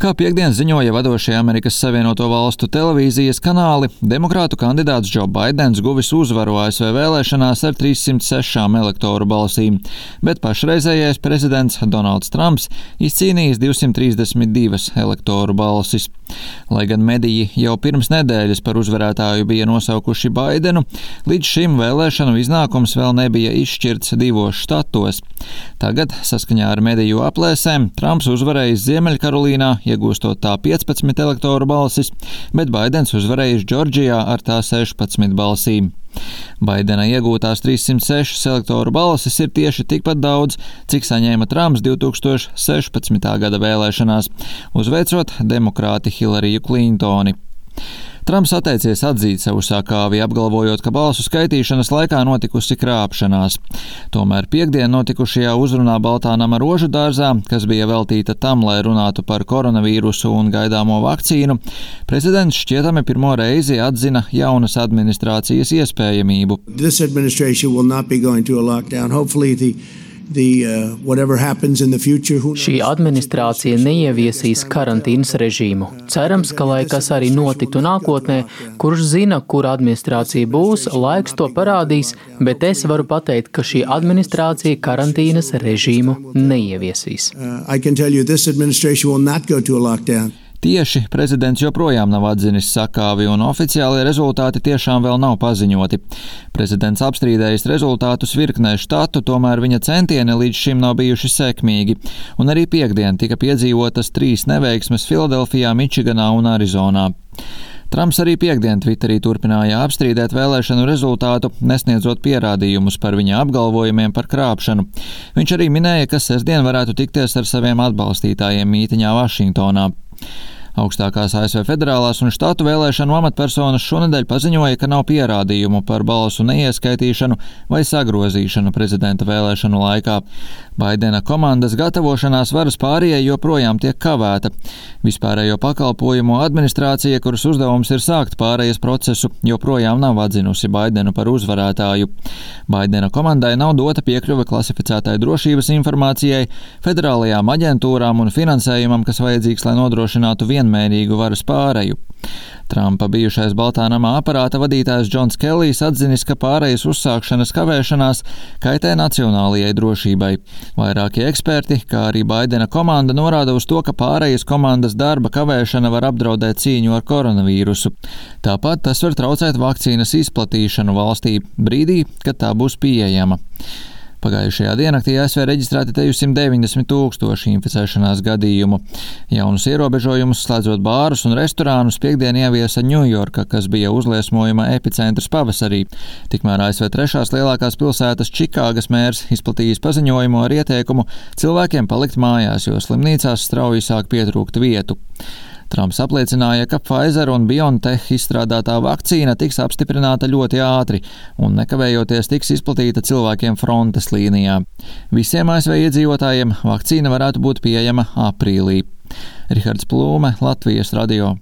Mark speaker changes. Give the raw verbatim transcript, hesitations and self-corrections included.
Speaker 1: Kā piektdien ziņoja vadošie Amerikas Savienoto Valstu televīzijas kanāli, demokrātu kandidāts Džo Baidens guvis uzvaru A S V vēlēšanās ar trīssimt sešām elektoru balsīm, bet pašreizējais prezidents Donalds Trumps izcīnījis divsimt trīsdesmit divas elektoru balsis. Lai gan mediji jau pirms nedēļas par uzvarētāju bija nosaukuši Baidenu, līdz šim vēlēšanu iznākums vēl nebija izšķirts divos štatos. Tagad, saskaņā ar mediju aplēsēm, Trumps uzvarējis Ziemeļkarolīnā, iegūstot tā piecpadsmit elektoru balsis, bet Baidens uzvarējis Džordžijā ar tā sešpadsmit balsīm. Baidena iegūtās trīssimt sešas elektoru balsis ir tieši tikpat daudz, cik saņēma Trumps divi tūkstoši sešpadsmitā gada vēlēšanās, uzveicot demokrāti Hillariju Klintoni. Trumps atteicies atzīt savu sakāvi, apgalvojot, ka balsu skaitīšanas laikā notikusi krāpšanās. Tomēr piektdien notikušajā uzrunā Baltā nama rožu dārzā, kas bija veltīta tam, lai runātu par koronavīrusu un gaidāmo vakcīnu, prezidents šķietami pirmo reizi atzina jaunas administrācijas iespējamību.
Speaker 2: The, uh, future,
Speaker 3: Šī administrācija neieviesīs karantīnas režīmu. Cerams, ka lai kas arī notiktu nākotnē, kurš zina, kura administrācija būs, laiks to parādīs, bet es varu pateikt, ka šī administrācija karantīnas režīmu neieviesīs.
Speaker 2: Uh,
Speaker 1: Tieši prezidents joprojām nav atzinis sakāvi, un oficiālie rezultāti tiešām vēl nav paziņoti. Prezidents apstrīdējis rezultātus virknē štatu, tomēr viņa centieni līdz šim nav bijuši sekmīgi, un arī piektdien tika piedzīvotas trīs neveiksmes Filadelfijā, Mičiganā un Arizonā. Trumps arī piektdien Twitterī turpināja apstrīdēt vēlēšanu rezultātu, nesniedzot pierādījumus par viņa apgalvojumiem par krāpšanu. Viņš arī minēja, ka sestdien varētu tikties ar saviem atbalstītājiem mītiņā Vašingtonā. Augstākās A S V federālās un štatu vēlēšanu amatpersonas šonedēļ paziņoja, ka nav pierādījumu par balsu neieskaitīšanu vai sagrozīšanu prezidenta vēlēšanu laikā. Baidena komandas gatavošanās varas pārējai joprojām tiek kavēta. Vispārējo pakalpojumu administrācija, kuras uzdevums ir sākt pārējas procesu, joprojām nav atzinusi Baidenu par uzvarētāju. Baidena komandai nav dota piekļuve klasificētai drošības informācijai, federālajām aģentūrām un finansējumam, kas vajadzīgs, lai nodrošinātu vienmērīgu varas pāreju. Trumpa bijušais Baltā nama aparāta vadītājs Džons Kellijs atzinis, ka pārejas uzsākšanas kavēšanās kaitē nacionālajai drošībai. Vairāki eksperti, kā arī Baidena komanda, norāda uz to, ka pārejas komandas darba kavēšana var apdraudēt cīņu ar koronavīrusu. Tāpat tas var traucēt vakcīnas izplatīšanu valstī brīdī, kad tā būs pieejama. Pagājušajā diennaktī A S V reģistrēti simt deviņdesmit tūkstoši inficēšanās gadījumu. Jaunus ierobežojumus, slēdzot bārus un restorānus, piektdien ieviesa Ņujorka, kas bija uzliesmojuma epicentrs pavasarī. Tikmēr A S V trešās lielākās pilsētas Čikāgas mērs izplatījis paziņojumu ar ieteikumu cilvēkiem palikt mājās, jo slimnīcās strauji sāk pietrūkt vietu. Trumps apliecināja, ka Pfizer un BioNTech izstrādātā vakcīna tiks apstiprināta ļoti ātri un nekavējoties tiks izplatīta cilvēkiem frontes līnijā. Visiem A S V iedzīvotājiem vakcīna varētu būt pieejama aprīlī. Rihards Plūme, Latvijas radio.